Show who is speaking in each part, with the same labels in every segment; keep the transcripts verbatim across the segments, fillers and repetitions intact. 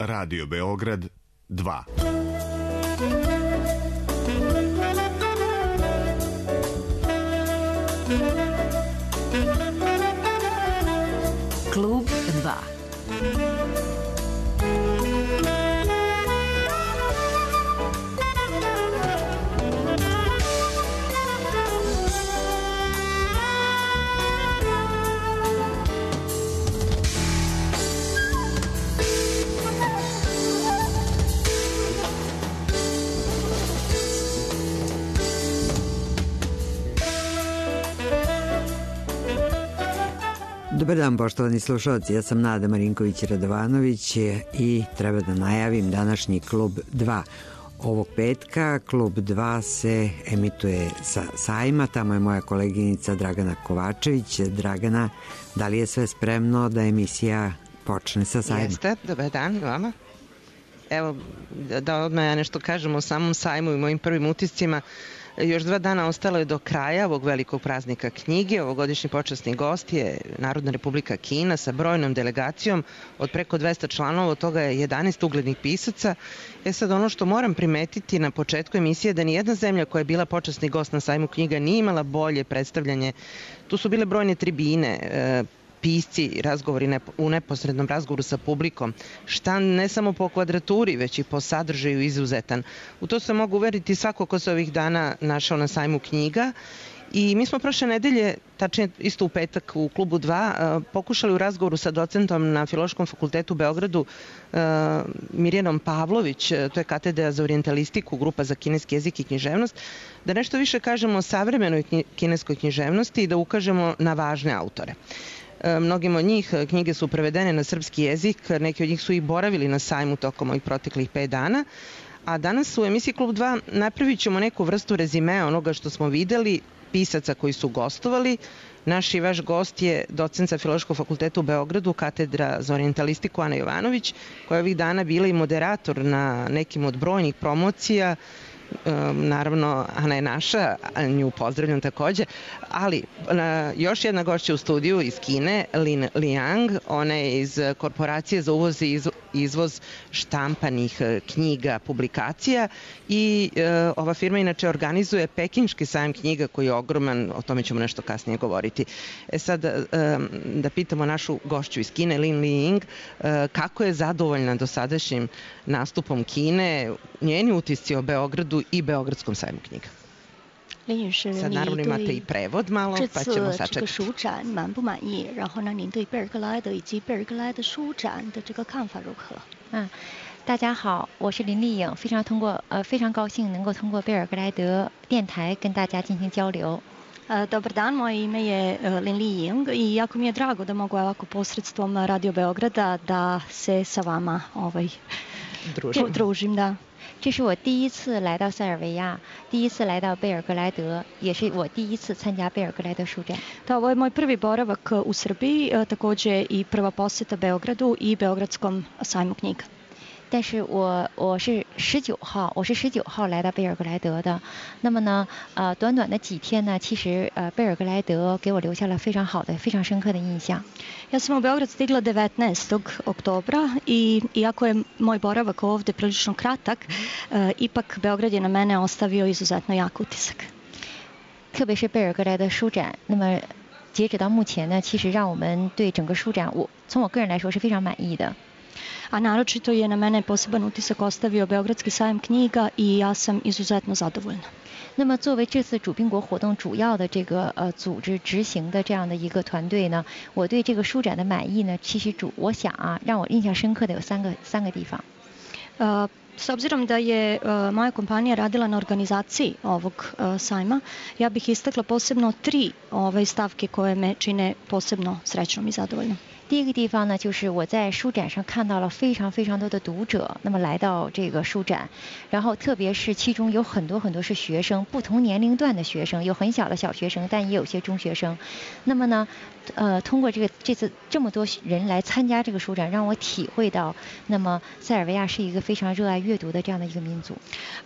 Speaker 1: Radio Beograd dva.
Speaker 2: Klub dva.
Speaker 3: Dobar dan, poštovani slušalci, ja sam Nada Marinković-Radovanović i treba da najavim današnji Klub dva. Ovog petka Klub dva se emituje sa sajma, tamo je moja koleginica Dragana Kovačević. Dragana, da li je sve spremno da emisija počne sa sajma?
Speaker 4: Jeste, dobar dan vama. Evo, da odmah ja nešto kažem o samom sajmu i mojim prvim utiscima. Još dva dana ostalo je do kraja ovog velikog praznika knjige. Ovogodišnji počasni gost je Narodna Republika Kina sa brojnom delegacijom od preko dvesta članova, od toga je jedanaest uglednih pisaca. E sad, ono što moram primetiti na početku emisije je da nijedna zemlja koja je bila počasni gost na sajmu knjiga nije imala bolje predstavljanje. Tu su bile brojne tribine, pisci, razgovori u neposrednom razgovoru sa publikom, štan ne samo po kvadraturi, već i po sadržaju izuzetan. U to se mogu uveriti svako ko se ovih dana našao na sajmu knjiga. I mi smo prošle nedelje, tačnije isto u petak u Klubu dva, pokušali u razgovoru sa docentom na Filološkom fakultetu u Beogradu, Mirjanom Pavlović, to je katedra za orijentalistiku, grupa za kineski jezik i književnost, da nešto više kažemo o savremenoj kineskoj književnosti i da ukažemo na važne autore. Mnogim od njih knjige su prevedene na srpski jezik, neki od njih su i boravili na sajmu tokom ovih proteklih pet dana, a danas u emisiji Klub dva napravit ćemo neku vrstu rezimea onoga što smo videli, pisaca koji su gostovali. Naš i vaš gost je docent sa Filološkog fakulteta u Beogradu, katedra za orijentalistiku Ana Jovanović, koja je ovih dana bila i moderator na nekim od brojnih promocija. Naravno, Ana je naša, nju pozdravljam takođe, ali još jedna gošća u studiju iz Kine, Lin Liang, ona je iz Korporacije za uvoz i izvoz štampanih knjiga, publikacija i ova firma inače organizuje Pekinški sajam knjiga koji je ogroman, o tome ćemo nešto kasnije govoriti. E sad, da pitamo našu gošću iz Kine, Lin Liang, kako je zadovoljna dosadašnjim nastupom Kine, njeni utisci o Beogradu i Beogradskom sajmu knjiga. Sad naravno imate i prevod malo, pa ćemo sačekati.
Speaker 5: 这个书展满不满意？然后呢，您对贝尔格莱德以及贝尔格莱德书展的这个看法如何？
Speaker 6: 嗯，大家好，我是林丽颖，非常通过呃非常高兴能够通过贝尔格莱德电台跟大家进行交流。
Speaker 5: Dobar dan, moje ime je Lin Li-Ying i jako mi je drago da mogu ovako posredstvom Radio Beograda da se sa vama ovaj, družim. Da.
Speaker 6: 这是我第一次来到塞尔维亚，第一次来到贝尔格莱德，也是我第一次参加贝尔格莱德书展。
Speaker 5: Da, ovo je moj prvi boravak u Srbiji, takođe i prva poseta Beogradu i Beogradskom sajmu knjiga.
Speaker 6: 但是我我是十九号，我是十九号来到贝尔格莱德的。那么呢，呃，短短的几天呢，其实呃，贝尔格莱德给我留下了非常好的、非常深刻的印象。
Speaker 5: Ja sam u Beograd stigla devetnaestog oktobra i iako je moj boravak ovde prilično kratak, ipak Beograd je na mene ostavio izuzetno jak utisak.
Speaker 6: 特别是贝尔格莱德书展，那么截止到目前呢，其实让我们对整个书展，我从我个人来说是非常满意的。
Speaker 5: A naročito je na mene poseban utisak ostavio Beogradski sajam knjiga i ja sam izuzetno zadovoljna.
Speaker 6: 那么作为这次主宾国活动主要的这个呃组织执行的这样的一个团队呢，我对这个书展的满意呢，其实主我想啊，让我印象深刻的有三个三个地方。
Speaker 5: Uh, S obzirom da je uh, moja kompanija radila na organizaciji ovog uh, sajma, ja bih istakla posebno tri ove stavke koje me čine posebno srećnom i zadovoljnom.
Speaker 6: 第一个地方呢，就是我在书展上看到了非常非常多的读者，那么来到这个书展，然后特别是其中有很多很多是学生，不同年龄段的学生，有很小的小学生，但也有些中学生。那么呢，呃，通过这个这次这么多人来参加这个书展，让我体会到，那么塞尔维亚是一个非常热爱阅读的这样的一个民族。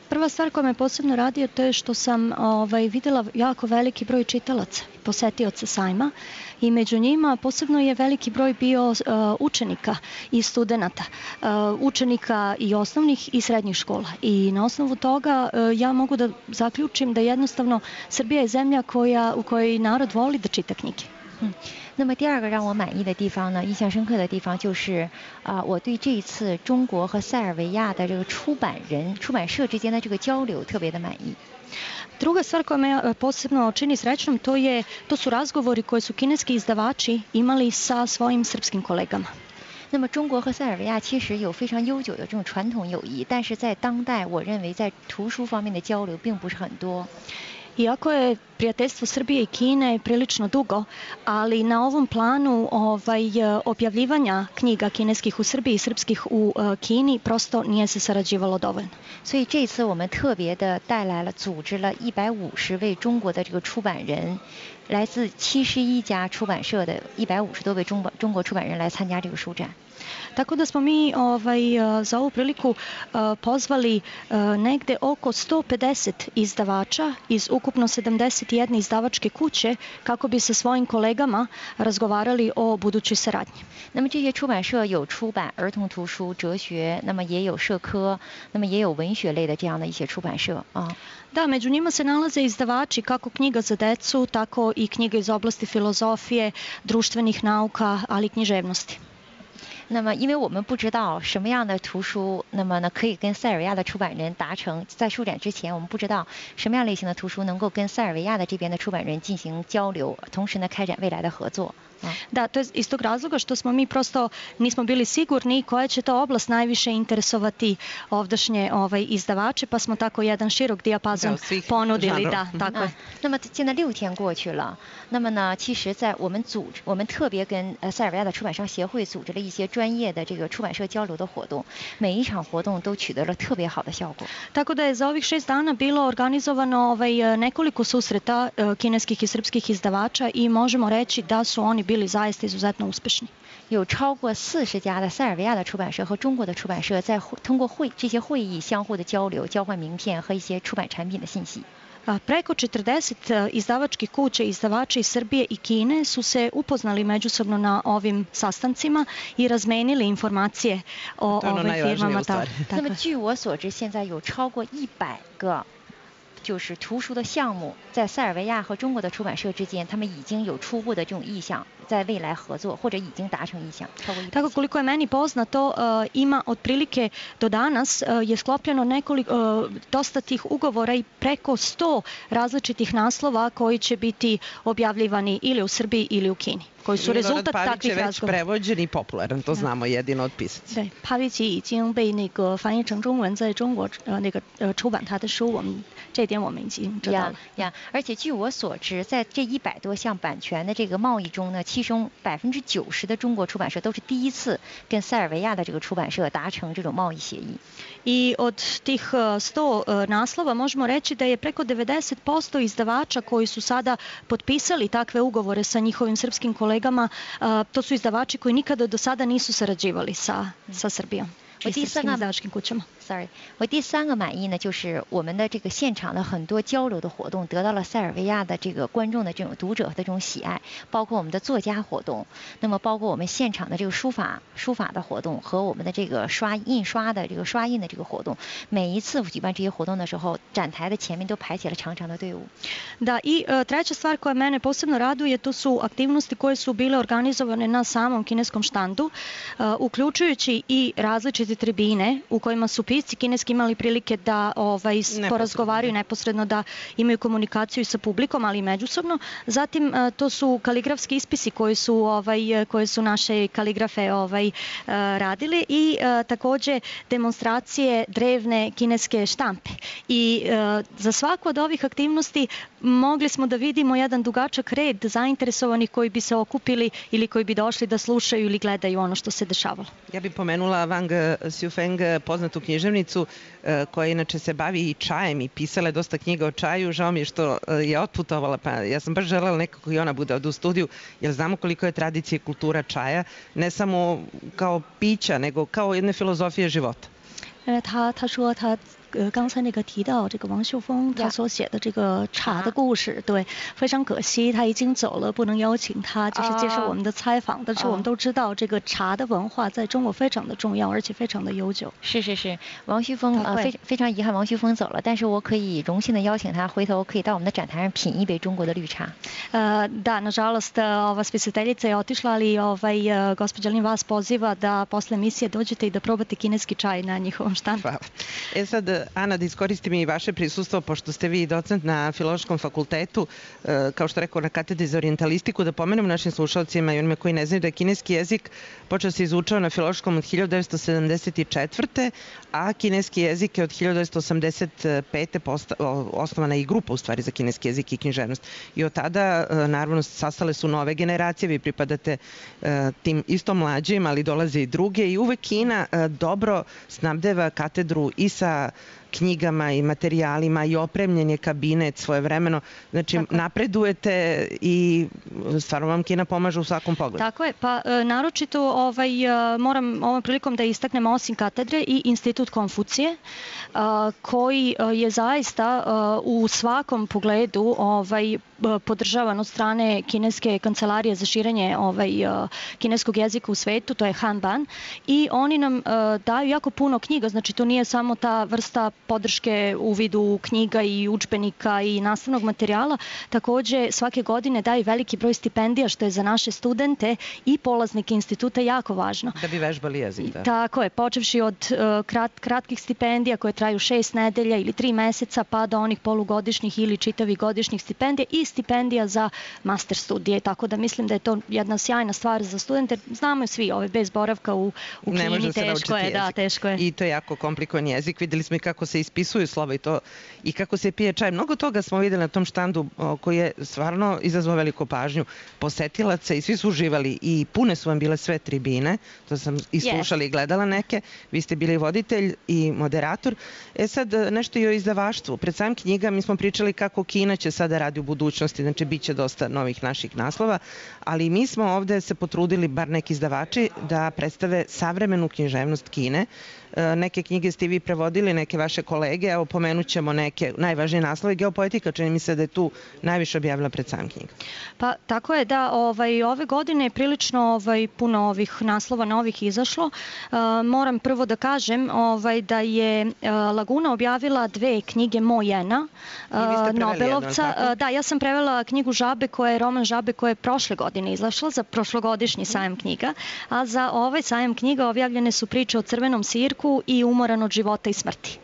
Speaker 5: Prva stvar koja me posebno raduje to je što sam ovaj, videla jako veliki broj čitalaca, posetioca sajma i među njima posebno je veliki broj broj bio učenika i studenata, učenika i osnovnih i srednjih škola. I na osnovu toga ja mogu da zaključim da jednostavno Srbija je zemlja koja, u kojoj narod voli da čita knjige.
Speaker 6: 嗯，那么第二个让我满意的地方呢，印象深刻的地方就是啊、呃，我对这一次中国和塞尔维亚的这个出版人、出版社之间的这个交流特别的满意。
Speaker 5: Druga stvar koja me posebno čini srećnom, to, je, to su razgovori koje su kineski izdavači imali sa svojim srpskim kolegama.
Speaker 6: 那么中国和塞尔维亚其实有非常悠久的这种传统友谊，但是在当代，我认为在图书方面的交流并不是很多。
Speaker 5: Iako je prijateljstvo Srbije i Kine prilično dugo, ali na ovom planu ovaj, objavljivanja knjiga kineskih u Srbiji i srpskih u uh, Kini prosto nije se sarađivalo dovoljno.
Speaker 6: 所以这次我们特别的带来了，组织了一百五十位中国的这个出版人，来自七十一家出版社的一百五十多位中中国出版人来参加这个书展。
Speaker 5: Tako da smo mi ovaj, za ovu priliku uh, pozvali uh, negde oko sto pedeset izdavača iz ukupno sedamdeset jedne izdavačke kuće kako bi sa svojim kolegama razgovarali o budućoj saradnji.
Speaker 6: 那么这些出版社有出版儿童图书、哲学，那么也有社科，那么也有文学类的这样的一些出版社啊。
Speaker 5: Da, među njima se nalaze izdavači kako knjiga za decu, tako i knjiga iz oblasti filozofije, društvenih nauka, ali i književnosti.
Speaker 6: 那么，因为我们不知道什么样的图书，那么呢可以跟塞尔维亚的出版人达成，在书展之前，我们不知道什么样类型的图书能够跟塞尔维亚的这边的出版人进行交流，同时呢开展未来的合作。
Speaker 5: Da, to je iz tog razloga što smo mi prosto nismo bili sigurni koja će to oblast najviše interesovati ovdašnje ovaj, izdavače, pa smo tako jedan širok dijapazon ponudili. Da, tako je.
Speaker 6: 那么现在六天过去了，那么呢，其实，在我们组织，我们特别跟呃塞尔维亚的出版商协会组织了一些专业的这个出版社交流的活动，每一场活动都取得了特别好的效果。
Speaker 5: Tako da je za ovih šest dana bilo organizovano ovaj, nekoliko susreta kineskih i srpskih izdavača i možemo reći da su oni bili zaista izuzetno uspešni.
Speaker 6: 有超过四十家的塞尔维亚的出版社和中国的出版社在通过会这些会议相互的交流、交换名片和一些出版产品的信息。
Speaker 5: Preko četrdeset izdavačkih kuća izdavača iz Srbije i Kine su se upoznali međusobno na ovim sastancima i razmenili informacije o ovim firmama.
Speaker 6: 那么据我所知，现在有超过一百个。 就是图书的项目，在塞尔维亚和中国的出版社之间，他们已经有初步的这种意向，在未来合作或者已经达成意向，超过一。
Speaker 5: Tako koliko je meni poznato, ima otprilike do danas je sklopljeno nekoliko dosta tih ugovora i preko sto različitih naslova koji će biti objavljivani ili u Srbiji ili u Kini. Koji su rezultat takvih razgovora.
Speaker 4: Pavić je već prevođen i popularan, to znamo jedino od pisaca.
Speaker 5: 对，帕维奇已经被那个翻译成中文，在中国呃那个呃出版他的书，我们这点我们已经知道了。
Speaker 6: 呀，而且据我所知，在这一百多项版权的这个贸易中呢，其中百分之九十的中国出版社都是第一次跟塞尔维亚的这个出版社达成这种贸易协议。
Speaker 5: I od tih sto naslova možemo reći da je preko devedeset posto izdavača koji su sada potpisali takve ugovore sa njihovim srpskim kolegama, to su izdavači koji nikada do sada nisu sarađivali sa, sa Srbijom.
Speaker 6: 我第三个 ，sorry， 我第三个满意呢，就是我们的这个现场的很多交流的活动得到了塞尔维亚的这个观众的这种读者的这种喜爱，包括我们的作家活动，那么包括我们现场的这个书法书法的活动和我们的这个刷印刷的这个刷印的这个活动，每一次举办这些活动的时候，展台的前面都排起了长长的队伍。
Speaker 5: Da, i treća stvar koja mene posebno raduje, to su aktivnosti koje su bile organizovane na samom kineskom štandu, uključujući i različite tribine u kojima su pisci kineski imali prilike da ovaj, porazgovaraju neposredno, da imaju komunikaciju sa publikom, ali i međusobno. Zatim to su kaligrafski ispisi koji su, ovaj, koje su naše kaligrafe ovaj, radili i takođe demonstracije drevne kineske štampe. I za svaku od ovih aktivnosti mogli smo da vidimo jedan dugačak red zainteresovanih koji bi se okupili ili koji bi došli da slušaju ili gledaju ono što se dešavalo.
Speaker 4: Ja bih pomenula Wang Xiufeng, poznatu književnicu koja inače se bavi i čajem i pisala je dosta knjiga o čaju. Žao mi je što je otputovala, pa ja sam baš želela nekako i ona bude ovde u studiju, jer znamo koliko je tradicija i kultura čaja, ne samo kao pića, nego kao jedne filozofije života.
Speaker 5: 他他说他呃刚才那个提到这个王秀峰他所写的这个茶的故事，对，非常可惜他已经走了，不能邀请他就是接受我们的采访。但是我们都知道这个茶的文化在中国非常的重要，而且非常的悠久。
Speaker 6: 是是是，王旭峰呃非非常遗憾王旭峰走了，但是我可以荣幸的邀请他回头可以到我们的展台上品一杯中国的绿茶。
Speaker 5: Uh, da, nažalost, ova spisateljica je otišla, ali ovaj, gospođa Lin vas poziva da posle emisije dođete i da probate kineski čaj na njihovom štandu.
Speaker 4: Hvala. E sad, Ana, da iskoristim i vaše prisustvo, pošto ste vi docent na Filološkom fakultetu, kao što rekao, na katedri za orijentalistiku, da pomenem našim slušalcima i onima koji ne znaju da je kineski jezik počeo se izučava na Filološkom od hiljadu devetsto sedamdeset četvrte. a kineski jezik je od hiljadu devetsto osamdeset pete osnovana i grupa u stvari za kineski jezik i književnost. I od tada, naravno, sastale su nove generacije, vi pripadate tim isto mlađim, ali dolaze i druge i uvek Kina dobro snabdeva katedru i sa knjigama i materijalima i opremljen je kabinet svojevremeno. Znači, tako napredujete i stvarno vam Kina pomaže u svakom pogledu.
Speaker 5: Tako je, pa naročito ovaj, moram ovom prilikom da istaknem osim katedre i Institut Konfucije, koji je zaista u svakom pogledu ovaj, podržavan od strane kineske kancelarije za širenje ovaj, kineskog jezika u svetu, to je Hanban, i oni nam daju jako puno knjiga, znači to nije samo ta vrsta podrške u vidu knjiga i udžbenika i nastavnog materijala, takođe svake godine daju veliki broj stipendija, što je za naše studente i polaznike instituta jako važno.
Speaker 4: Da bi vežbali jezik, da.
Speaker 5: Tako je, počevši od krat, kratkih stipendija koje traju šest nedelja ili tri meseca, pa do onih polugodišnjih ili čitavih godišnjih stipendija i stipendija za master studije, tako da mislim da je to jedna sjajna stvar za studente. Znamo svi, ove bez boravka u, u Kini, teško je, da, teško je.
Speaker 4: I to je jako komplikovan jezik. Videli smo i kako se ispisuju slova i to i kako se pije čaj. Mnogo toga smo videli na tom štandu koji je stvarno izazvao veliku pažnju posetilaca i svi su uživali i pune su vam bile sve tribine, to sam i slušala i gledala neke. Vi ste bili voditelj i moderator. E sad nešto i o izdavaštvu. Pred samim knjiga mi smo pričali kako Kina će sada radi u budućnosti, znači bit će dosta novih naših naslova, ali mi smo ovde se potrudili, bar neki izdavači, da predstave savremenu književnost Kine. Neke knjige ste vi prevodili, neke vaše kolege, evo pomenut ćemo neke najvažnije naslove. Geopoetika, čini mi se da je tu najviše objavila pred sam knjiga.
Speaker 5: Pa tako je da ovaj, ove godine je prilično ovaj, puno ovih naslova novih izašlo. Uh, moram prvo da kažem ovaj, da je uh, Laguna objavila dve knjige Mojena, uh, Nobelovca. Jedno, da, ja sam prevela knjigu Žabe, koja je roman Žabe koja je prošle godine izašla za prošlogodišnji sajam knjiga, a za ovaj sajam knjiga objavljene su priče o Crvenom sirku i Umoran od života i smrti.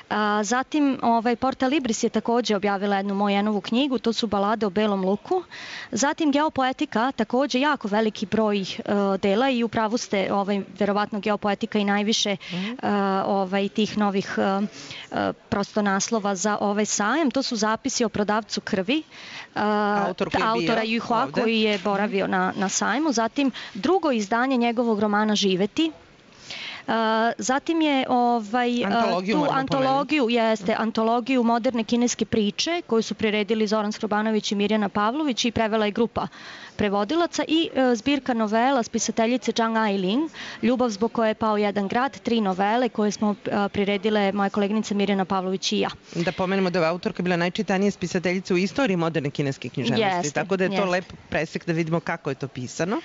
Speaker 5: A, zatim ovaj, Porta Libris je takođe objavila jednu Mojenovu knjigu, to su balade o Belom luku. Zatim Geopoetika, takođe jako veliki broj uh, dela i upravo ste, ovaj, verovatno Geopoetika i najviše uh, ovaj, tih novih uh, uh, prosto naslova za ovaj sajam. To su zapisi o prodavcu krvi, uh, autora Juhua koji je boravio na, na sajmu. Zatim drugo izdanje njegovog romana Živeti. Uh, zatim je ovaj,
Speaker 4: antologiju,
Speaker 5: tu antologiju, jeste, antologiju moderne kineske priče koju su priredili Zoran Skrobanović i Mirjana Pavlović i prevela je grupa prevodilaca i uh, zbirka novela spisateljice Zhang Ailing, Ljubav zbog koje je pao jedan grad, tri novele koje smo uh, priredile moja koleginica Mirjana Pavlović i ja.
Speaker 4: Da pomenemo da je autorka bila najčitanija spisateljica u istoriji moderne kineske književnosti, jeste, tako da je to jeste. Lep presek da vidimo kako je to pisano.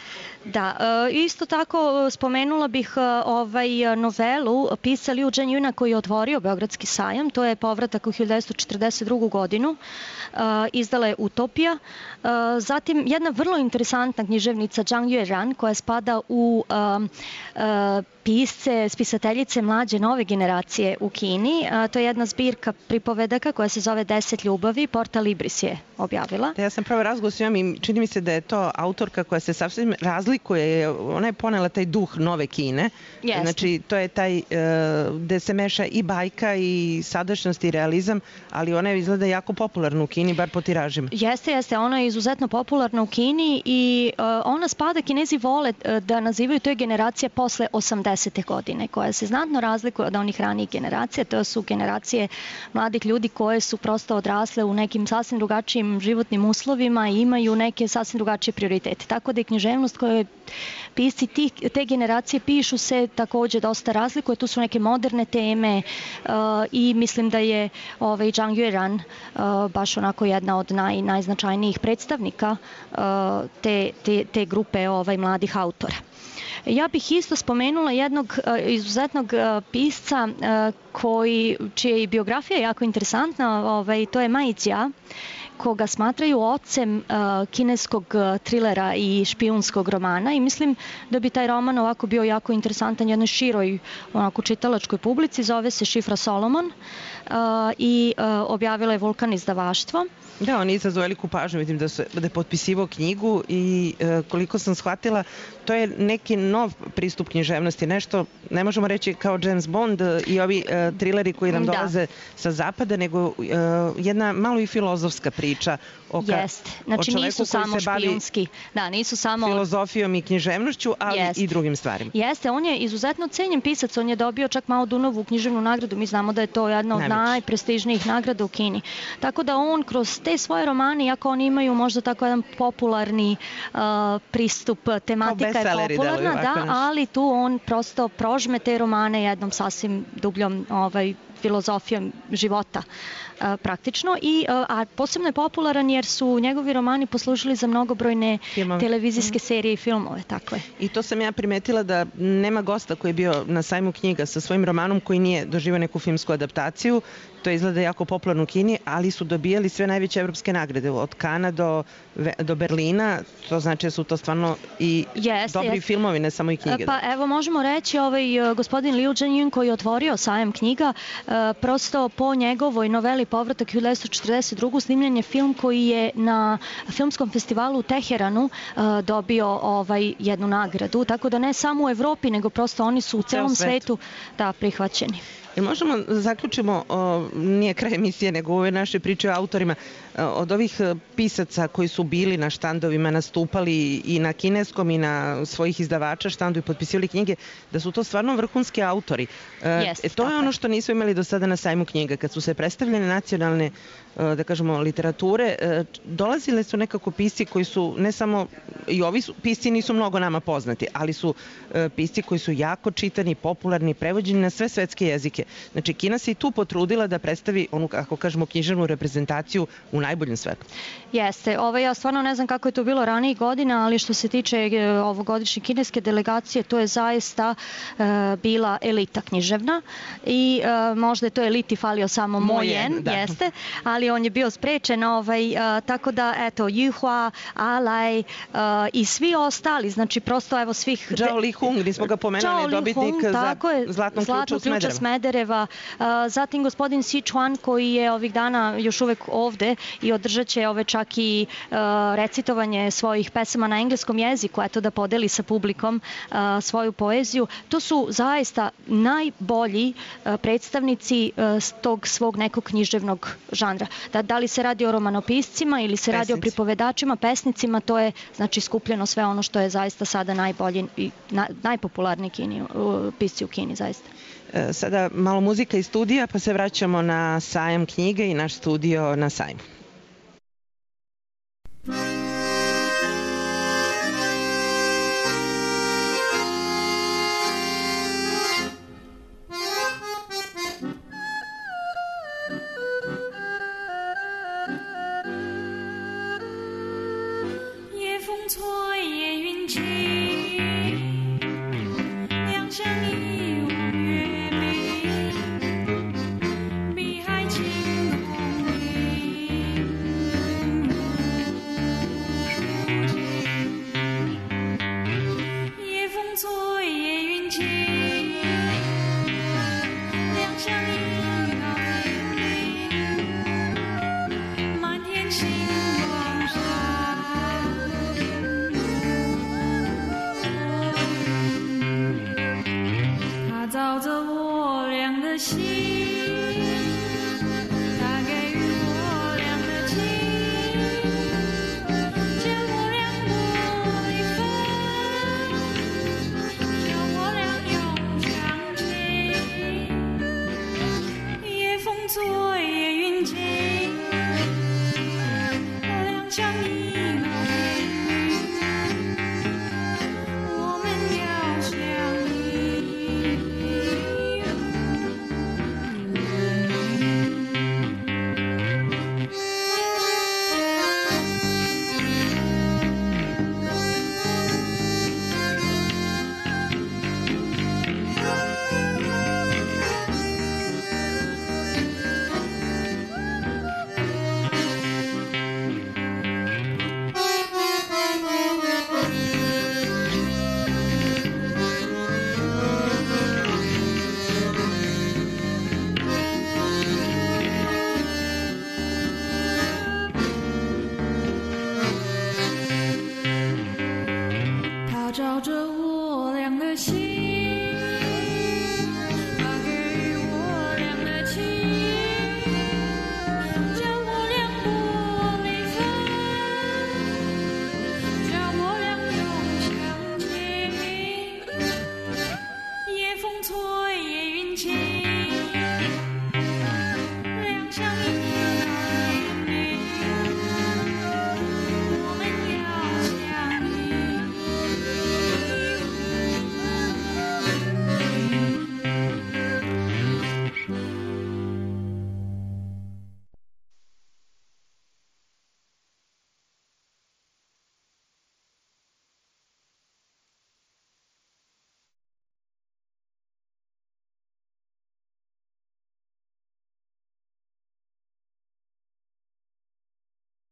Speaker 5: Da, uh, isto tako spomenula bih uh, ovaj novelu pisca Liu Zhenjuna koji je otvorio Beogradski sajam, to je Povratak u hiljadu devetsto četrdeset drugu godinu, uh, izdala je Utopija. Uh, zatim jedna vrlo interesantna književnica Zhang Yueran koja spada u uh, uh, pisce, spisateljice mlađe nove generacije u Kini. A, to je jedna zbirka pripovedaka koja se zove Deset ljubavi, Porta Libris je objavila.
Speaker 4: Da, ja sam pravo razgovor s njom i čini mi se da je to autorka koja se sasvim razlikuje, ona je ponela taj duh nove Kine.
Speaker 5: Jeste.
Speaker 4: Znači, to je taj uh, gde se meša i bajka i sadašnjost i realizam, ali ona je izgleda jako popularna u Kini, bar po tiražima.
Speaker 5: Jeste, jeste, ona je izuzetno popularna u Kini i uh, ona spada, Kinezi vole uh, da nazivaju, to je generacija posle osamdesetih. devedesete godine, koja se znatno razlikuje od onih ranijih generacija. To su generacije mladih ljudi koje su prosto odrasle u nekim sasvim drugačijim životnim uslovima i imaju neke sasvim drugačije prioritete. Tako da je književnost koje pisci tih, te generacije pišu se takođe dosta razlikuje. Tu su neke moderne teme uh, i mislim da je ovaj, Zhang Yueran uh, baš onako jedna od naj, najznačajnijih predstavnika uh, te, te, te grupe ovaj, mladih autora. Ja bih isto spomenula jednog uh, izuzetnog uh, pisca uh, koji, čija je biografija jako interesantna, ovaj, to je Ma Yijia, koga smatraju ocem uh, kineskog uh, trilera i špijunskog romana i mislim da bi taj roman ovako bio jako interesantan jednoj široj onako čitalačkoj publici. Zove se Šifra Solomon uh, i uh, objavila je Vulkan izdavaštvo.
Speaker 4: Da, on je izazvao veliku pažnju, vidim da, su, da je potpisivao knjigu i e, koliko sam shvatila, to je neki nov pristup književnosti, nešto, ne možemo reći kao James Bond i ovi e, trileri koji nam dolaze da. sa zapada, nego e, jedna malo i filozofska priča o, ka,
Speaker 5: Jest. Znači, o čoveku nisu samo koji se bavi špijunski. Da, nisu samo
Speaker 4: filozofijom i književnošću, ali Jest. i drugim stvarima.
Speaker 5: Jeste, on je izuzetno cenjen pisac, on je dobio čak Mao Dunovu književnu nagradu, mi znamo da je to jedna od Najveći. najprestižnijih nagrada u Kini. Tako da on kroz te svoje romane, iako oni imaju možda tako jedan popularni uh, pristup, tematika je popularna, da, ali tu on prosto prožme te romane jednom sasvim dubljom ovaj, filozofijom života uh, praktično i uh, a posebno je popularan jer su njegovi romani poslužili za mnogobrojne Filmove. televizijske mm. serije i filmove, tako je.
Speaker 4: I to sam ja primetila da nema gosta koji je bio na sajmu knjiga sa svojim romanom koji nije doživio neku filmsku adaptaciju. To izgleda jako popularno u Kini, ali su dobijali sve najveće evropske nagrade, od Kana do, do Berlina, to znači da su to stvarno i jeste, dobri jeste. filmovi, ne samo i knjige.
Speaker 5: Pa evo možemo reći, ovaj, gospodin Liu Zhenjun koji je otvorio sajam knjiga, prosto po njegovoj noveli Povratak hiljadu devetsto četrdeset druge snimljen je film koji je na filmskom festivalu u Teheranu dobio ovaj, jednu nagradu, tako da ne samo u Evropi, nego prosto oni su u celom svetu da, prihvaćeni.
Speaker 4: Jel možemo zaključimo, o, nije kraj emisije, nego ove naše priče o autorima, od ovih pisaca koji su bili na štandovima, nastupali i na kineskom i na svojih izdavača štandu i potpisivali knjige, da su to stvarno vrhunski autori.
Speaker 5: Yes,
Speaker 4: e, to je ono što nismo imali do sada na sajmu knjiga. Kad su se predstavljene nacionalne, da kažemo, literature, dolazile su nekako pisci koji su, ne samo, i ovi su, pisci nisu mnogo nama poznati, ali su pisci koji su jako čitani, popularni, prevođeni na sve svetske jezike. Znači, Kina se i tu potrudila da predstavi onu, kako kažemo, književnu reprezentaciju u najboljem svetlu.
Speaker 5: Jeste. Ovo, ja stvarno ne znam kako je to bilo ranijih godina, ali što se tiče ovogodišnje kineske delegacije, to je zaista e, bila elita književna i e, možda je to eliti falio samo Mojen, da. jeste, ali on je bio sprečen, ovaj, e, tako da, eto, Yuhua, Alaj e, i svi ostali, znači prosto, evo, svih...
Speaker 4: Zhao Lihung, gdje smo ga pomenuli, dobitnik za Zlatnog ključa u Smedereva.
Speaker 5: Smedereva. Zatim gospodin Sichuan koji je ovih dana još uvek ovde i održat će ove čak i uh, recitovanje svojih pesama na engleskom jeziku, eto da podeli sa publikom uh, svoju poeziju. To su zaista najbolji uh, predstavnici uh, tog svog nekog književnog žanra. Da, da li se radi o romanopiscima ili se Pesnici. radi o pripovedačima, pesnicima, to je znači skupljeno sve ono što je zaista sada najbolji i na, najpopularniji Kini, uh, pisci u Kini zaista.
Speaker 4: Sada malo muzika iz studija, pa se vraćamo na sajam knjige i naš studio na sajmu.
Speaker 2: Your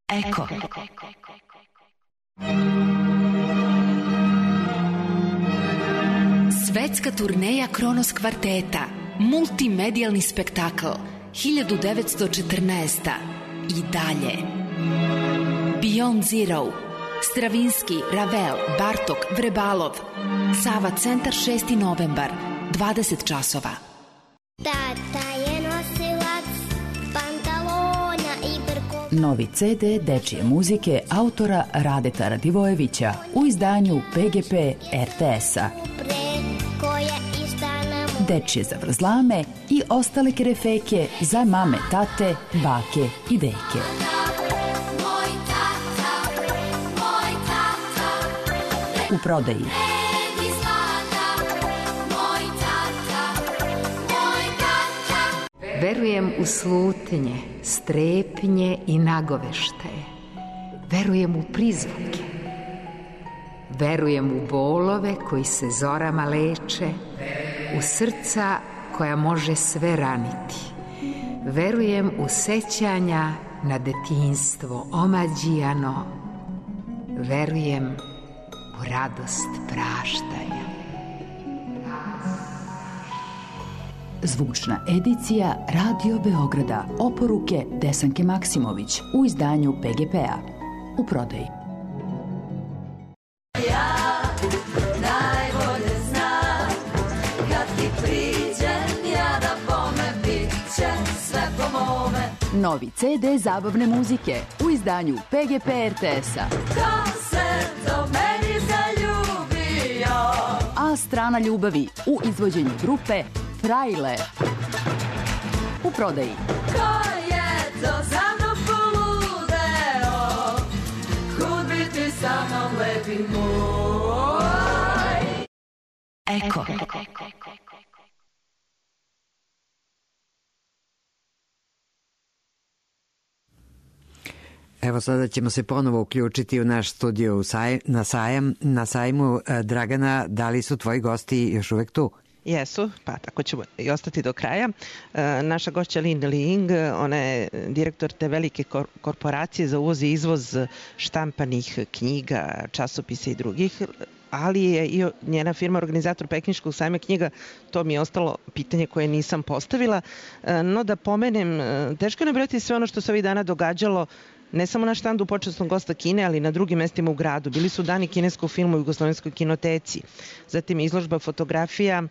Speaker 2: Eko. Svetska turneja Kronos kvarteta, multimedijalni spektakl, hiljadu devetsto četrnaesta. I dalje. Beyond Zero, Stravinski, Ravel, Bartok, Vrebalov. Sava centar šesti novembar, dvadeset časova.
Speaker 7: Tata je nosilac pantalona i brko.
Speaker 8: Novi ce de dečije muzike autora Radeta Radivojevića u izdanju pe ge pe er te esa. Dečije zavrzlame i ostale kerefeke za mame, tate, bake i deke. U prodaji.
Speaker 9: Verujem u slutnje, strepnje i nagoveštaje. Verujem u prizvuke. Verujem u bolove koji se zorama leče, u srca koja može sve raniti. Verujem u sećanja na detinjstvo omađijano. Verujem u radost praštanja.
Speaker 8: Zvučna edicija Radio Beograda. Oporuke Desanke Maksimović u izdanju pe ge pe a. U prodaji.
Speaker 10: Ja najbolje znam kad ti priđem ja da bome bit će sve po mome.
Speaker 8: Novi ce de zabavne muzike u izdanju pe ge pe er te esa.
Speaker 10: Ko se do meni zaljubio?
Speaker 8: A strana ljubavi u izvođenju grupe Frajle. U prodaji.
Speaker 10: Ko je to za mnom poludeo? Kud biti sa mnom lepi moj?
Speaker 2: Eko.
Speaker 3: Evo sada ćemo se ponovo uključiti u naš studio u saj, na, sajam, na sajmu. Dragana, da li su tvoji gosti još uvek tu?
Speaker 4: Jesu, pa tako ćemo i ostati do kraja. E, naša gošća Lin Ling, ona je direktor te velike kor korporacije za uvoz i izvoz štampanih knjiga, časopisa i drugih, ali je i njena firma organizator Pekinškog sajma knjiga. To mi je ostalo pitanje koje nisam postavila. E, no da pomenem, teško je nabrojati sve ono što se ovih dana događalo ne samo na štandu počasnog gosta Kine, ali i na drugim mestima u gradu. Bili su dani kineskog filma u Jugoslovenskoj kinoteci, zatim izložba fotografija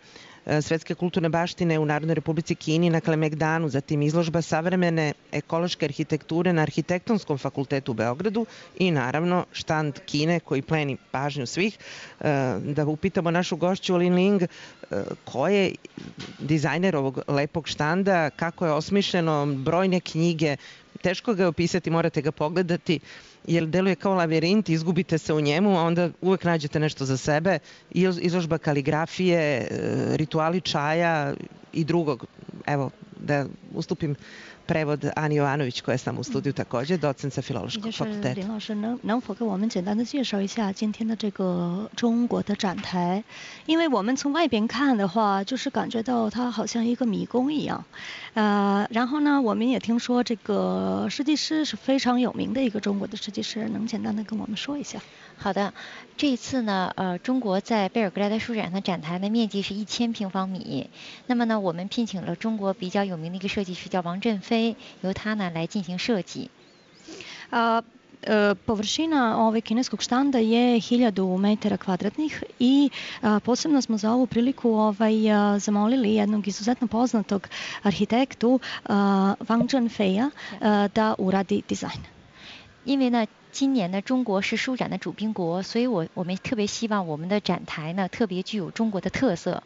Speaker 4: svetske kulturne baštine u Narodnoj Republici Kini na Kalemegdanu, zatim izložba savremene ekološke arhitekture na Arhitektonskom fakultetu u Beogradu i naravno štand Kine koji pleni pažnju svih. Da upitamo našu gošću Lin Ling, ko je dizajner ovog lepog štanda, kako je osmišljeno, brojne knjige, teško ga je opisati, morate ga pogledati, jer deluje kao lavirint, izgubite se u njemu, a onda uvek nađete nešto za sebe. Izložba kaligrafije, rituali čaja i drugog. Evo, da ustupim prevod Ani Jovanović, koja je sam u studiju takođe, docent sa Filološkog fakulteta.
Speaker 5: 林老师能能否给我们简单的介绍一下今天的这个中国的展台？因为我们从外边看的话，就是感觉到它好像一个迷宫一样。呃，然后呢，我们也听说这个设计师是非常有名的一个中国的设计师，能简单的跟我们说一下？
Speaker 6: 好的，这一次呢，呃，中国在贝尔格莱德书展的展台的面积是一千平方米。那么呢，我们聘请了中国比较有名的一个设计师，叫王振飞，由他呢来进行设计。
Speaker 5: Uh, Površina ovaj kineskog štanda je hiljadu metara kvadratnih i a, posebno smo za ovu priliku ovaj, a, zamolili jednog izuzetno poznatog arhitektu a, Wang Zhenfeia da uradi dizajn.
Speaker 6: 因为呢，今年呢中国是书展的主宾国，所以我我们特别希望我们的展台呢特别具有中国的特色。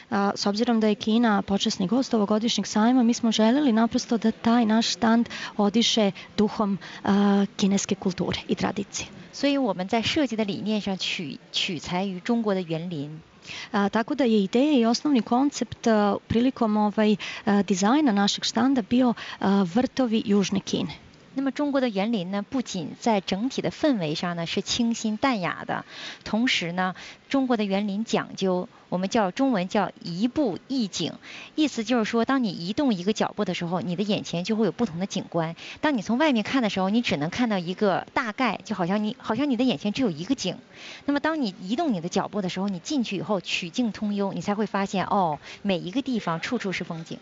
Speaker 5: A, s obzirom da je Kina počasni gost ovogodišnjeg sajma, mi smo želeli naprosto da taj naš štand odiše duhom a, kineske kulture i tradicije.
Speaker 6: 所以我们在设计的理念上取取材于中国的园林。
Speaker 5: A, tako da je ideja i osnovni koncept a, prilikom ovaj, a, dizajna našeg štanda bio a, vrtovi Južne Kine.
Speaker 6: 那么中国的园林呢，不仅在整体的氛围上呢是清新淡雅的，同时呢，中国的园林讲究我们叫中文叫移步一景，意思就是说，当你移动一个脚步的时候，你的眼前就会有不同的景观。当你从外面看的时候，你只能看到一个大概，就好像你好像你的眼前只有一个景。那么当你移动你的脚步的时候，你进去以后曲径通幽，你才会发现哦，每一个地方处处是风景。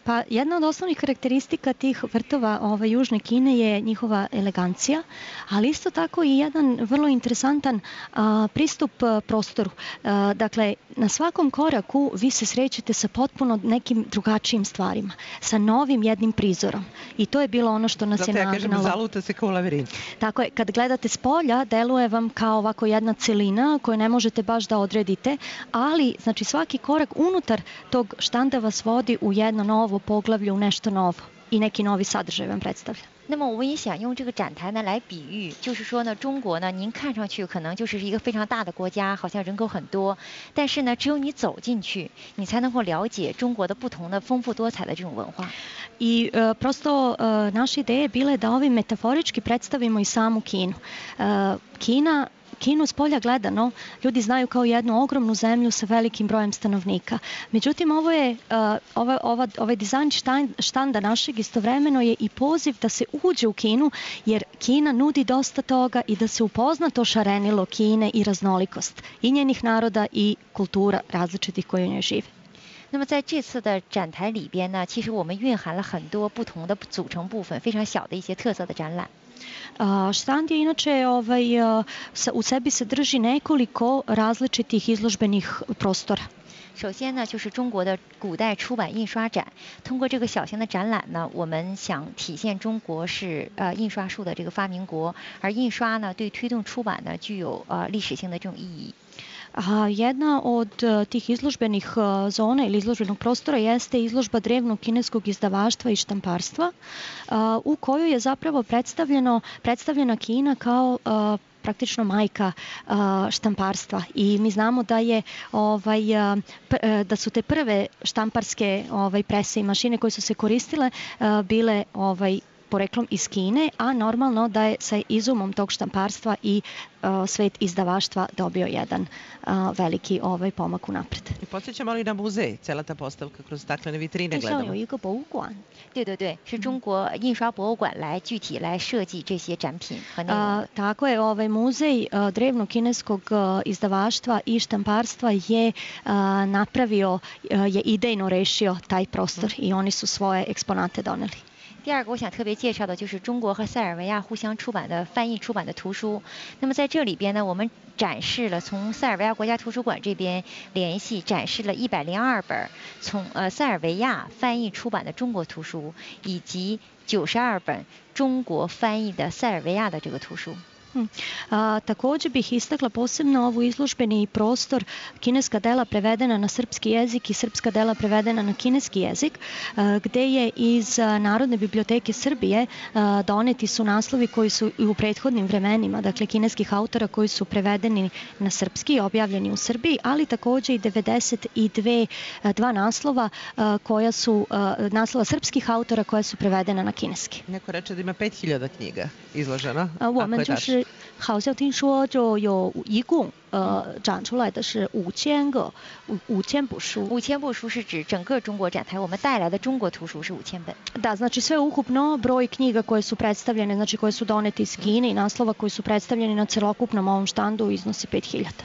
Speaker 5: Pa jedna od osnovnih karakteristika tih vrtova ove, Južne Kine je njihova elegancija, ali isto tako i jedan vrlo interesantan a, pristup a, prostoru. A, dakle, na svakom koraku vi se srećete sa potpuno nekim drugačijim stvarima, sa novim jednim prizorom. I to je bilo ono što nas
Speaker 4: Zato
Speaker 5: je
Speaker 4: ja kažem,
Speaker 5: nagnalo.
Speaker 4: zaluta se kao u lavirintu.
Speaker 5: Tako je, kad gledate s polja, deluje vam kao ovako jedna celina koju ne možete baš da odredite, ali znači svaki korak unutar tog štanda vas vodi u jedno novo poglavlje, u nešto novo i neki novi sadržaj vam predstavlja.
Speaker 6: 那么我也想用这个展台呢来比喻，就是说呢，中国呢，您看上去可能就是一个非常大的国家，好像人口很多，但是呢，只有你走进去，你才能够了解中国的不同的丰富多彩的这种文化。
Speaker 5: I e, prosto e, naša ideja je bila da ovim metaforički predstavimo i samu Kinu. E, Kina Kinu s polja gledano ljudi znaju kao jednu ogromnu zemlju sa velikim brojem stanovnika. Međutim, ovo je, uh, ova, ova, ovaj dizajn štanda našeg istovremeno je i poziv da se uđe u Kinu, jer Kina nudi dosta toga i da se upozna to šarenilo Kine i raznolikost i njenih naroda i kultura različitih koje u njoj žive.
Speaker 6: 那么在这次的展台里边呢，其实我们蕴含了很多不同的组成部分，非常小的一些特色的展览。
Speaker 5: Uh, štand je inače ovaj, uh, sa, u sebi sadrži nekoliko različitih izložbenih prostora.
Speaker 6: 首先呢，就是中国的古代出版印刷展。通过这个小型的展览呢，我们想体现中国是呃印刷术的这个发明国，而印刷呢对推动出版呢具有呃历史性的这种意义。
Speaker 5: A jedna od tih izložbenih zona ili izložbenog prostora jeste izložba drevnog kineskog izdavaštva i štamparstva, u kojoj je zapravo predstavljeno, predstavljena Kina kao praktično majka štamparstva. I mi znamo da je ovaj, da su te prve štamparske ovaj, prese i mašine koje su se koristile bile ovaj, poreklom iz Kine, a normalno da je sa izumom tog štamparstva i uh, svet izdavaštva dobio jedan uh, veliki ovaj pomak unapred.
Speaker 4: I podsjećamo li na muzej, cela ta postavka kroz staklene vitrine gledamo?
Speaker 5: 有一个博物馆。
Speaker 6: 对对对，是中国印刷博物馆来具体来设计这些展品和内容。
Speaker 5: Uh, tako je, ovaj muzej uh, drevnog kineskog uh, izdavaštva i štamparstva je uh, napravio, uh, je idejno rešio taj prostor i oni su svoje eksponate doneli.
Speaker 6: 第二个我想特别介绍的就是中国和塞尔维亚互相出版的翻译出版的图书。那么在这里边呢，我们展示了从塞尔维亚国家图书馆这边联系展示了一百零二本从呃塞尔维亚翻译出版的中国图书，以及九十二本中国翻译的塞尔维亚的这个图书。
Speaker 5: A, također bih istakla posebno ovu izložbeni prostor kineska dela prevedena na srpski jezik i srpska dela prevedena na kineski jezik, a, gde je iz a, Narodne biblioteke Srbije a, doneti su naslovi koji su i u prethodnim vremenima, dakle kineskih autora koji su prevedeni na srpski i objavljeni u Srbiji, ali također i devedeset dva naslova a, koja su a, naslova srpskih autora koja su prevedena na kineski.
Speaker 4: Neko reče da ima pet hiljada knjiga izloženo.
Speaker 5: 我们就是好像听说就有一共呃展出来的是五千个五五千部书。
Speaker 6: 五千部书是指整个中国展台我们带来的中国图书是五千本。
Speaker 5: Da, znači sve ukupno broj knjiga koje su predstavljene, znači koje su donete iz Kine i naslova koji su predstavljeni na celokupnom ovom štandu iznosi pet hiljada.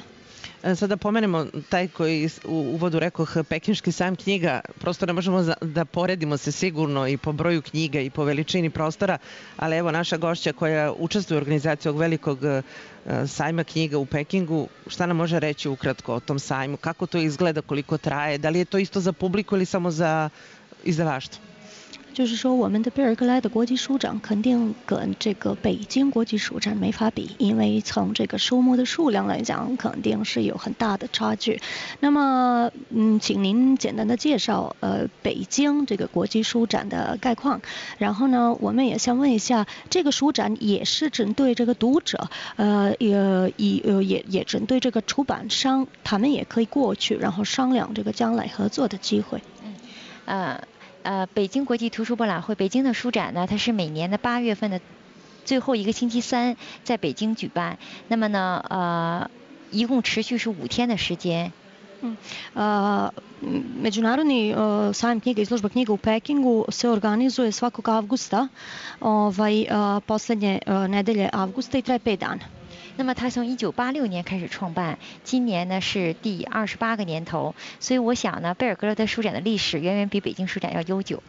Speaker 4: Sada pomenemo taj koji u uvodu rekoh Pekinški sajam knjiga, prosto ne možemo da poredimo se sigurno i po broju knjiga i po veličini prostora, ali evo naša gošća koja učestvuje u organizaciji ovog velikog sajma knjiga u Pekingu, šta nam može reći ukratko o tom sajmu, kako to izgleda, koliko traje, da li je to isto za publiku ili samo za izdavaštvo?
Speaker 5: 就是说，我们的贝尔格莱的国际书展肯定跟这个北京国际书展没法比，因为从这个书目的数量来讲，肯定是有很大的差距。那么，嗯，请您简单的介绍呃北京这个国际书展的概况。然后呢，我们也想问一下，这个书展也是针对这个读者，呃，也也呃也也针对这个出版商，他们也可以过去，然后商量这个将来合作的机会。
Speaker 6: 嗯，呃。呃北京国际图书博览会，北京的书展呢，它是每年的八月份的最后一个星期三在北京举办。那么呢，呃，一共持续是五天的时间。
Speaker 5: Uh, Međunarodni uh, sajam knjiga, izložba knjiga u Pekingu se organizuje svakog avgusta, ovaj, uh, poslednje uh, nedelje avgusta i traje pet dana.
Speaker 6: 那么它从一九八六年开始创办，今年呢是第二十八个年头，所以我想呢，贝尔格勒德书展的历史远远比北京书展要悠久。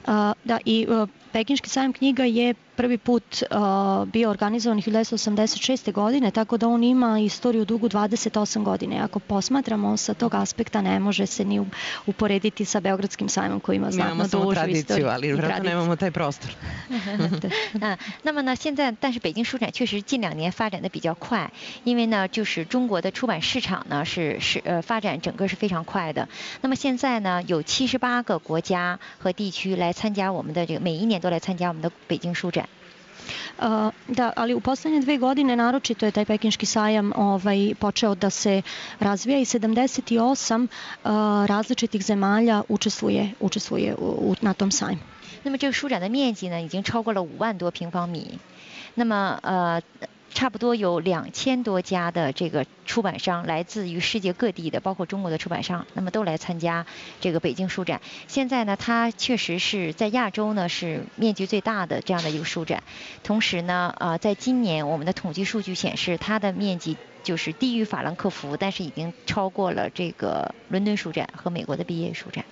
Speaker 5: Uh, da, i uh, Pekinški sajam knjiga je prvi put uh, bio organizovan hiljadu devetsto osamdeset šeste. godine, tako da on ima istoriju dugu dvadeset osam godine. Ako posmatramo sa tog aspekta, ne može se ni uporediti sa Beogradskim sajmom koji ima znatno dužu istoriju.
Speaker 4: Ali vjerojatno nemamo taj prostor.
Speaker 6: 啊，那么呢，现在但是北京书展确实近两年发展的比较快，因为呢，就是中国的出版市场呢是是呃发展整个是非常快的。那么现在呢，有七十八个国家和地区来参加我们的这个，每一年都来参加我们的北京书展。
Speaker 5: Uh, da, ali u poslednje dve godine naročito je taj Pekinški sajam ovaj, počeo da se razvija i sedamdeset osam uh, različitih zemalja učestvuje, učestvuje u, u, na tom sajmu.
Speaker 6: 那么这个书展的面积呢，已经超过了五万多平方米。那么呃。 差不多有两千多家的这个出版商，来自于世界各地的，包括中国的出版商，那么都来参加这个北京书展。现在呢，它确实是在亚洲呢是面积最大的这样的一个书展。同时呢，呃，在今年我们的统计数据显示，它的面积就是低于法兰克福，但是已经超过了这个伦敦书展和美国的毕业书展。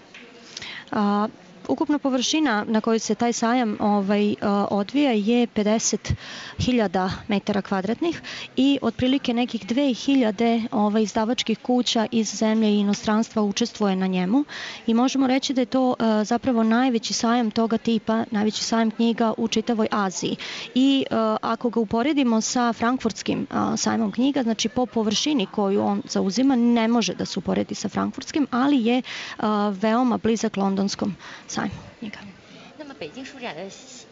Speaker 5: 啊。 Ukupna površina na kojoj se taj sajam ovaj, odvija je pedeset hiljada metara kvadratnih i otprilike nekih dve hiljade ovaj, izdavačkih kuća iz zemlje i inostranstva učestvuje na njemu i možemo reći da je to zapravo najveći sajam toga tipa, najveći sajam knjiga u čitavoj Aziji. I ako ga uporedimo sa frankfurtskim sajmom knjiga, znači po površini koju on zauzima ne može da se uporedi sa frankfurtskim, ali je veoma blizak londonskom sajmu knjiga.
Speaker 6: 那么北京书展的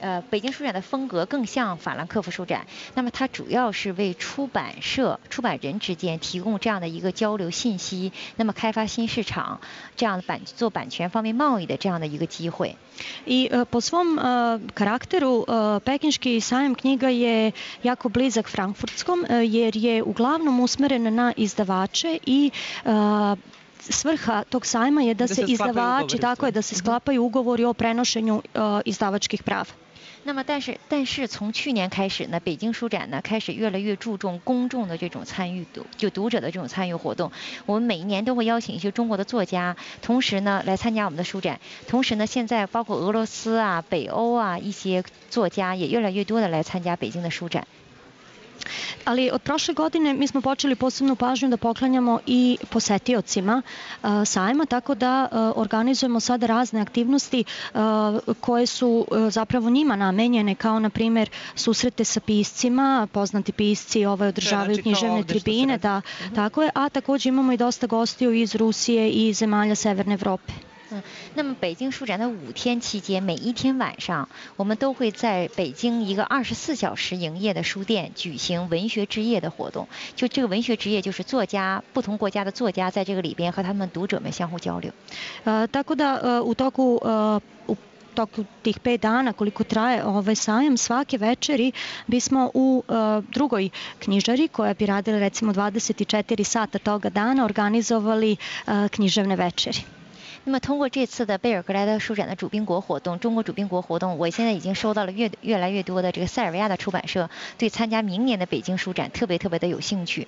Speaker 6: 呃，北京书展的风格更像法兰克福书展。那么它主要是为出版社、出版人之间提供这样的一个交流信息，那么开发新市场，这样的版做版权方面贸易的这样的一个机会。
Speaker 5: I uh, po svom uh, karakteru uh, Pekinški sajam knjiga je jako blizak frankfurtskom uh, jer je uglavnom usmeren na izdavače i uh, svrha tog sajma je da, da se, se izdavači, tako je, da se sklapaju ugovori o prenošenju uh, izdavačkih prava.
Speaker 6: 那么，但是，但是从去年开始呢，北京书展呢开始越来越注重公众的这种参与度，就读者的这种参与活动。我们每一年都会邀请一些中国的作家，同时呢来参加我们的书展。同时呢，现在包括俄罗斯啊、北欧啊一些作家也越来越多的来参加北京的书展。
Speaker 5: Ali od prošle godine mi smo počeli posebnu pažnju da poklanjamo i posetiocima uh, sajma, tako da uh, organizujemo sada razne aktivnosti uh, koje su uh, zapravo njima namenjene, kao na primjer susrete sa piscima, poznati pisci ovaj, održavaju znači, književne tribine, da, uh-huh. tako je, a također imamo i dosta gostiju iz Rusije i zemalja Severne Evrope.
Speaker 6: 嗯，那么北京书展的五天期间，每一天晚上，我们都会在北京一个二十四小时营业的书店举行文学之夜的活动。就这个文学之夜，就是作家不同国家的作家在这个里边和他们读者们相互交流。
Speaker 5: 呃，tako da u toku u toku tih pet dana koliko traje ovaj sajam, svake večeri bismo u uh, drugoj knjižari koja bi radila recimo dvadeset četiri sata toga dana organizovali uh, književne večeri.
Speaker 6: 那么通过这次的贝尔格莱德书展的主宾国活动，中国主宾国活动，我现在已经收到了越越来越多的这个塞尔维亚的出版社对参加明年的北京书展特别特别的有兴趣。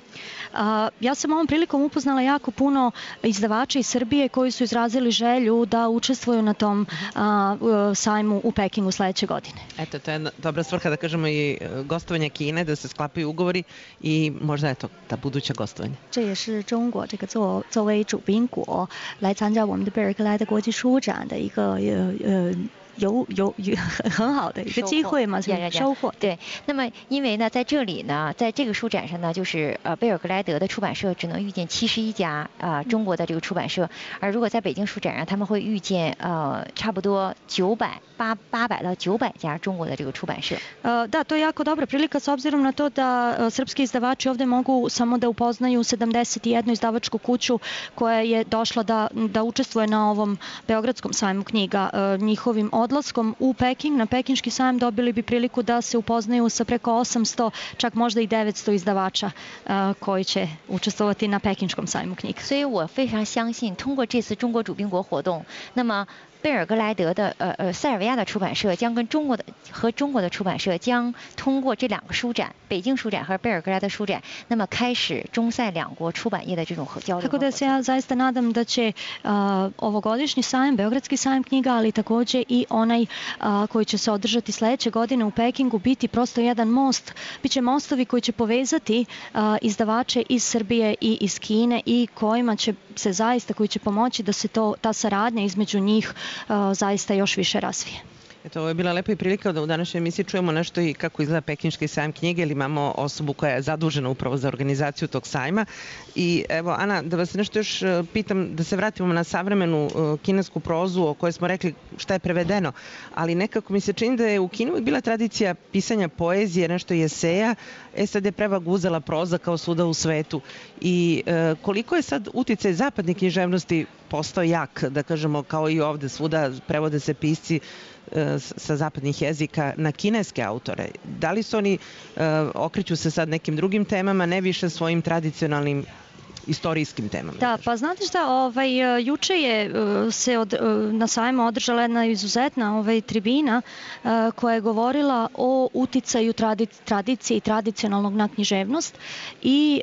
Speaker 5: Uh, ja sam ovom prilikom upoznala jako puno izdavača iz Srbije koji su izrazili želju da učestvuju na tom uh, sajmu u Pekingu sledeće godine.
Speaker 4: Eto, to je dobra svrha da kažemo i gostovanje Kine, da se sklapaju ugovori i možda eto ta buduća gostovanja.
Speaker 5: 这也是中国这个作作为主宾国来参加我们的贝尔格莱德国际书展的一个呃呃有有有很好的一个机会嘛，收获。
Speaker 6: 对，那么因为呢，在这里呢，在这个书展上呢，就是呃贝尔格莱德的出版社只能遇见七十一家啊、呃、中国的这个出版社，而如果在北京书展上，他们会遇见呃差不多九百八八百到九百家中国的这个出版社。
Speaker 5: Uh, da, to je jako dobra prilika s obzirom na to da uh, srpski izdavači ovde mogu samo da upoznaju sedamdeset jednu izdavačku kuću koja je došla da, da učestvuje na ovom Beogradskom sajmu knjiga. Uh, njihovim odlaskom u Peking, na Pekinški sajam, dobili bi priliku da se upoznaju sa preko osamsto, čak možda i devetsto izdavača uh, koji će učestvovati na Pekinškom sajmu knjiga.
Speaker 6: 所以我非常相信，通过这次中国主宾国活动，那么贝尔格莱德的呃呃塞尔维亚的出版社将跟中国的和中国的出版社将通过这两个书展，北京书展和贝尔格莱德书展，那么开始中塞两国出版业的这种交流。
Speaker 5: Tako da se ja zaista nadam da će uh, ovogodišnji sajam, Beogradski sajam knjiga, ali takođe i onaj uh, koji će se održati sledeće godine u Pekingu biti prosto jedan most, biće mostovi koji će povezati uh, izdavače iz Srbije i iz Kine i kojima će se zaista, koji će pomoći da se to, ta saradnja između njih uh, zaista još više razvije.
Speaker 4: Eto, ovo je bila lepa i prilika da u današnjoj emisiji čujemo nešto i kako izgleda Pekinški sajam knjige, ili imamo osobu koja je zadužena upravo za organizaciju tog sajma. I evo, Ana, da vas nešto još pitam, da se vratimo na savremenu kinesku prozu o kojoj smo rekli šta je prevedeno, ali nekako mi se čini da je u Kini bila tradicija pisanja poezije, nešto i eseja, e sad je prevag uzela proza kao svuda u svetu. I e, koliko je sad uticaj zapadne književnosti postao jak, da kažemo, kao i ovde svuda prevode se pisci sa zapadnih jezika na kineske autore. Da li su oni, okreću se sad nekim drugim temama, ne više svojim tradicionalnim istorijskim temama?
Speaker 5: Da, pa znate šta, ovaj, juče je se od, na sajmu održala jedna izuzetna ovaj, tribina koja je govorila o uticaju tradicije i tradicionalnog na književnost i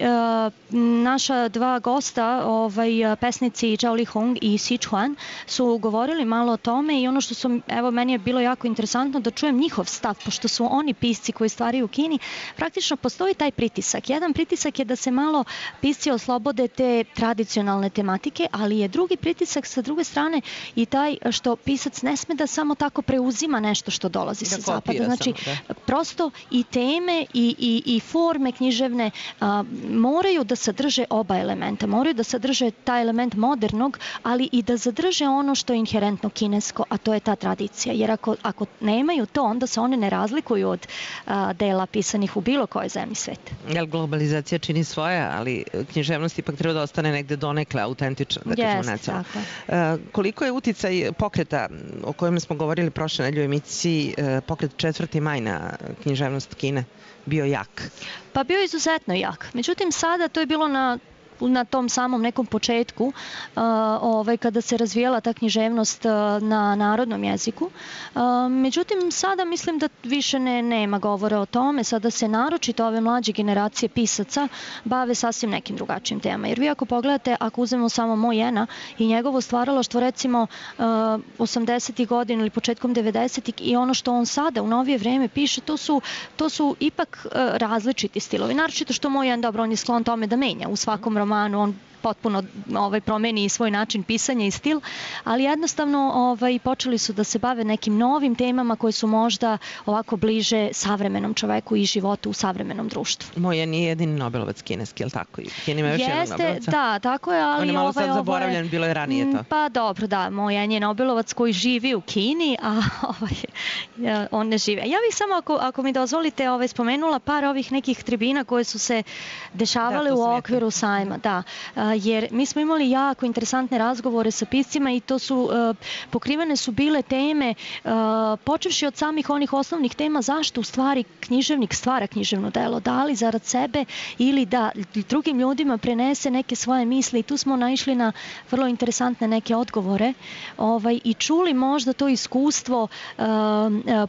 Speaker 5: naša dva gosta, ovaj, pesnici Zhao Lihong i Si Chuan, su govorili malo o tome i ono što su, evo, meni je bilo jako interesantno da čujem njihov stav, pošto su oni pisci koji stvaraju u Kini, praktično postoji taj pritisak. Jedan pritisak je da se malo pisci oslobode te tradicionalne tematike, ali je drugi pritisak sa druge strane i taj što pisac ne sme da samo tako preuzima nešto što dolazi sa zapada. Znači, samo, prosto i teme i, i, i forme književne a, moraju da sadrže oba elementa. Moraju da sadrže taj element modernog, ali i da zadrže ono što je inherentno kinesko, a to je ta tradicija. Jer ako, ako nemaju to, onda se one ne razlikuju od a, dela pisanih u bilo kojoj zemlji sveta.
Speaker 4: Jel, globalizacija čini svoje, ali književnost ipak treba da ostane negde donekle autentična, da kažemo nacionalno. Uh, koliko je uticaj pokreta o kojem smo govorili prošle nedelje u emisiji, uh, pokret četvrti maj na književnost Kine, bio jak?
Speaker 5: Pa bio izuzetno jak. Međutim, sada to je bilo na na tom samom nekom početku uh, ovaj, kada se razvijala ta književnost uh, na narodnom jeziku. Uh, međutim, sada mislim da više ne, nema govora o tome. Sada se naročito ove mlađe generacije pisaca bave sasvim nekim drugačijim temama. Jer vi ako pogledate, ako uzmemo samo Mojena i njegovo stvaralaštvo recimo uh, osamdesetih godina ili početkom devedesetih i ono što on sada u novije vreme piše, to su, to su ipak uh, različiti stilovi. Naročito što Mojen, dobro, on je sklon tome da menja u svakom romanu. On potpuno ovaj, promeni svoj način pisanja i stil, ali jednostavno ovaj, počeli su da se bave nekim novim temama koje su možda ovako bliže savremenom čoveku i životu u savremenom društvu.
Speaker 4: Moja nije jedini Nobelovac kineski, je li tako? Kina ima još jednog Nobelovca?
Speaker 5: Da, tako je, ali...
Speaker 4: On je malo
Speaker 5: ovaj,
Speaker 4: sad zaboravljen, ovaj, bilo je ranije to.
Speaker 5: Pa dobro, da, Mojan je Nobelovac koji živi u Kini, a ovaj, on ne živi. Ja bih samo, ako, ako mi dozvolite, ovaj, spomenula par ovih nekih tribina koje su se dešavale da, u okviru sajma. Da, jer mi smo imali jako interesantne razgovore sa piscima i to su, uh, pokrivene su bile teme, uh, počevši od samih onih osnovnih tema zašto u stvari književnik stvara književno delo, da li zarad sebe ili da drugim ljudima prenese neke svoje misli i tu smo naišli na vrlo interesantne neke odgovore ovaj, i čuli možda to iskustvo uh,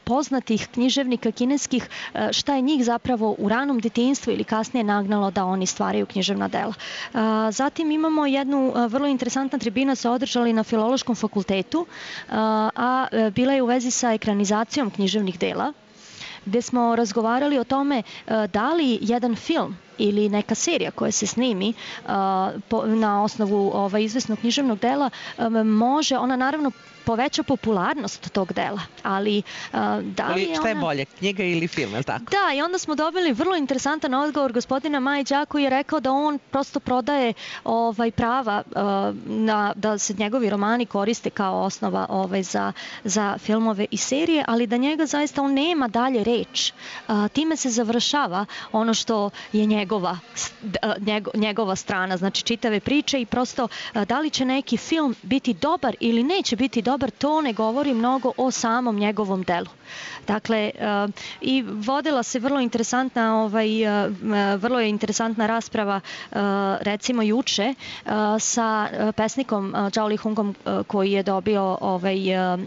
Speaker 5: poznatih književnika kineskih, uh, šta je njih zapravo u ranom detinjstvu ili kasnije nagnalo da oni stvaraju književna dela. Uh, Zatim imamo jednu vrlo interesantna tribina se održali na Filološkom fakultetu, a bila je u vezi sa ekranizacijom književnih dela, gde smo razgovarali o tome da li jedan film ili neka serija koja se snimi uh, po, na osnovu ovaj, izvesnog književnog dela um, može, ona naravno poveća popularnost tog dela. Ali da li je
Speaker 4: šta je
Speaker 5: ona...
Speaker 4: bolje, knjiga ili film, je li tako?
Speaker 5: Da, i onda smo dobili vrlo interesantan odgovor gospodina Majića koji je rekao da on prosto prodaje ovaj, prava na, da se njegovi romani koriste kao osnova ovaj, za, za filmove i serije, ali da njega zaista on nema dalje reč. Time se završava ono što je njegova, njegova strana, znači čitave priče i prosto da li će neki film biti dobar ili neće biti dobar, to ne govori mnogo o samom njegovom delu. Dakle, uh, i vodila se vrlo interesantna, ovaj, uh, vrlo je interesantna rasprava uh, recimo juče uh, sa pesnikom uh, Zhao Lihungom uh, koji je dobio ovaj, uh,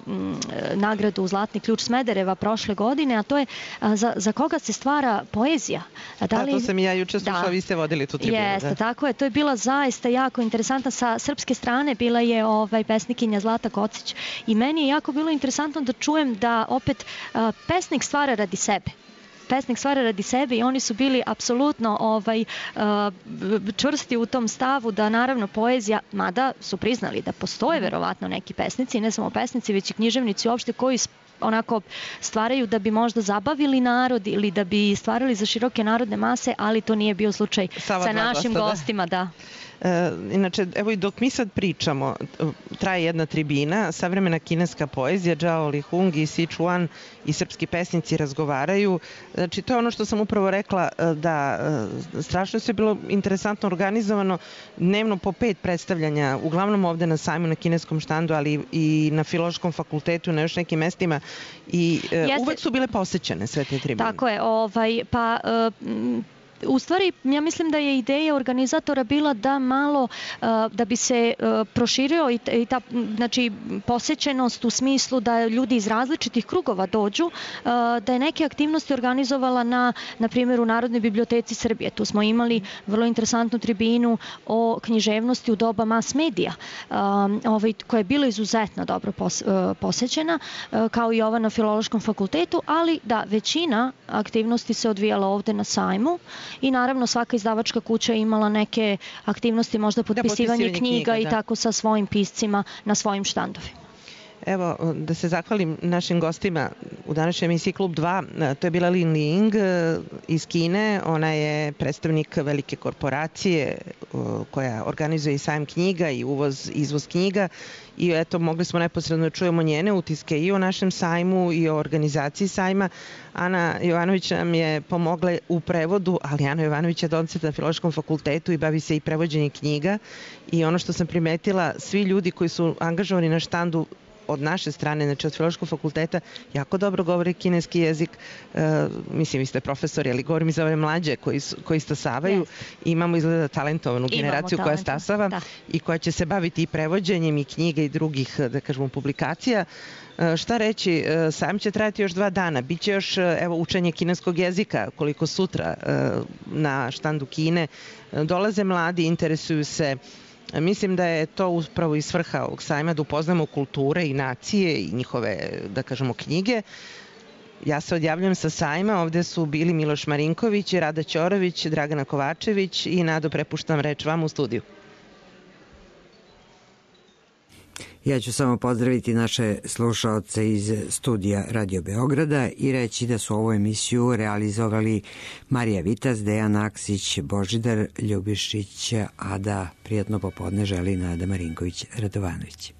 Speaker 5: nagradu Zlatni ključ Smedereva prošle godine, a to je uh, za, za koga se stvara poezija.
Speaker 4: Da, li... to sam i ja juče slušala, da. Vi ste vodili tu tribunu.
Speaker 5: Jeste,
Speaker 4: da.
Speaker 5: Tako je, to je bila zaista jako interesantna. Sa srpske strane bila je ovaj, pesnikinja Zlata Kocić i meni je jako bilo interesantno da čujem da opet uh, pesnik stvara radi sebe. Pesnik stvara radi sebe i oni su bili apsolutno ovaj, uh, čvrsti u tom stavu da naravno poezija, mada su priznali da postoje verovatno neki pesnici, ne samo pesnici, već i književnici uopšte koji onako stvaraju da bi možda zabavili narod ili da bi stvarali za široke narodne mase, ali to nije bio slučaj Sava sa našim gosta, gostima, da.
Speaker 4: E, inače, evo i dok mi sad pričamo, traje jedna tribina, savremena kineska poezija, Zhao Lihung i Sichuan i srpski pesnici razgovaraju. Znači, to je ono što sam upravo rekla, da strašno se bilo interesantno organizovano, dnevno po pet predstavljanja, uglavnom ovde na sajmu na kineskom štandu, ali i na Filološkom fakultetu, na još nekim mestima i Jeste. uvek su bile posećene sve te tribine.
Speaker 5: Tako je, ovaj, pa... Uh, U stvari, ja mislim da je ideja organizatora bila da malo, da bi se proširio i ta, znači, posećenost u smislu da ljudi iz različitih krugova dođu, da je neke aktivnosti organizovala na, na primjer, u Narodnoj biblioteci Srbije. Tu smo imali vrlo interesantnu tribinu o književnosti u doba mas medija, ovaj, koja je bila izuzetno dobro posećena, kao i ova na Filološkom fakultetu, ali da, većina aktivnosti se odvijala ovde na sajmu. I naravno svaka izdavačka kuća je imala neke aktivnosti, možda potpisivanje, da, potpisivanje knjiga, knjiga i da. tako sa svojim piscima na svojim štandovima.
Speaker 4: Evo, da se zahvalim našim gostima u današnjoj emisiji Klub dva. To je bila Lin Ling iz Kine. Ona je predstavnik velike korporacije koja organizuje i sajam knjiga i uvoz, izvoz knjiga. I eto, mogli smo neposredno da čujemo njene utiske i o našem sajmu i o organizaciji sajma. Ana Jovanović nam je pomogla u prevodu, ali Ana Jovanović je docent na Filološkom fakultetu i bavi se i prevođenjem knjiga. I ono što sam primetila, svi ljudi koji su angažovani na štandu od naše strane, znači od Filološkog fakulteta, jako dobro govore kineski jezik. E, mislim, vi ste profesori, ali govorim i za ove mlađe koji, koji stasavaju. Yes. Imamo izgleda talentovanu generaciju koja stasava da. i koja će se baviti i prevođenjem i knjiga i drugih, da kažemo, publikacija. E, šta reći, e, sajam će trajati još dva dana. Biće još, evo, učenje kineskog jezika, koliko sutra e, na štandu Kine. E, dolaze mladi, interesuju se. Mislim da je to upravo i svrha ovog sajma, da upoznamo kulture i nacije i njihove, da kažemo, knjige. Ja se odjavljujem sa sajma, ovde su bili Miloš Marinković, Rada Ćorović, Dragana Kovačević i Nado, prepuštam reč vam u studiju.
Speaker 3: Ja ću samo pozdraviti naše slušaoce iz studija Radio Beograda i reći da su ovu emisiju realizovali Marija Vitas, Dejan Aksić, Božidar Ljubišić, a da prijatno popodne želi Nada Marinković Radovanović.